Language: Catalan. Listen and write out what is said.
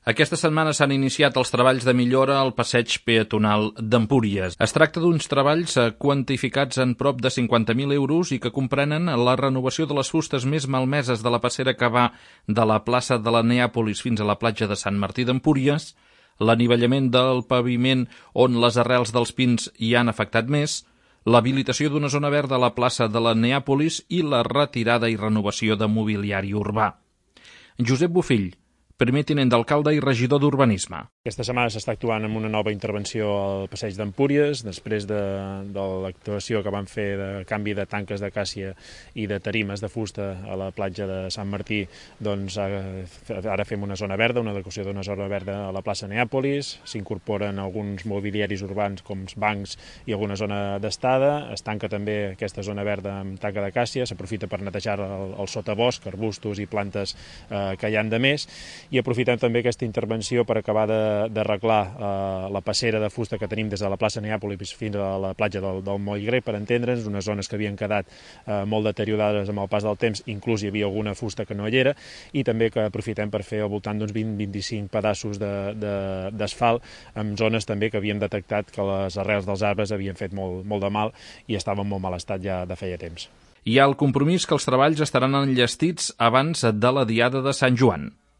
Aquesta setmana s'han iniciat els treballs de millora al passeig peatonal d'Empúries. Es tracta d'uns treballs quantificats en prop de 50.000 euros i que comprenen la renovació de les fustes més malmeses de la passera que va de la plaça de la Neàpolis fins a la platja de Sant Martí d'Empúries, l'anivellament del paviment on les arrels dels pins hi han afectat més, l'habilitació d'una zona verda a la plaça de la Neàpolis i la retirada i renovació de mobiliari urbà. Josep Bofill, primer tinent d'alcalde i regidor d'Urbanisme. Aquesta setmana s'està actuant amb una nova intervenció al passeig d'Empúries, després de l'actuació que van fer de canvi de tanques d'acàcia i de tarimes de fusta a la platja de Sant Martí. Doncs ara fem una zona verda, una adequació d'una zona verda a la plaça Neàpolis, s'incorporen alguns mobiliaris urbans com bancs i alguna zona d'estada, es tanca també aquesta zona verda amb tanca d'acàcia, s'aprofita per netejar el sotabosc, arbustos i plantes que hi han de més, i aprofitem també aquesta intervenció per acabar d'arreglar la passera de fusta que tenim des de la plaça Neàpolis fins a la platja del Moll Grec, per entendre'ns, unes zones que havien quedat molt deteriorades amb el pas del temps, inclús hi havia alguna fusta que no hi era, i també que aprofitem per fer al voltant d'uns 20-25 pedaços d'asfalt en zones també que havíem detectat que les arrels dels arbres havien fet molt de mal i estaven en molt mal estat ja de feia temps. Hi ha el compromís que els treballs estaran enllestits abans de la Diada de Sant Joan.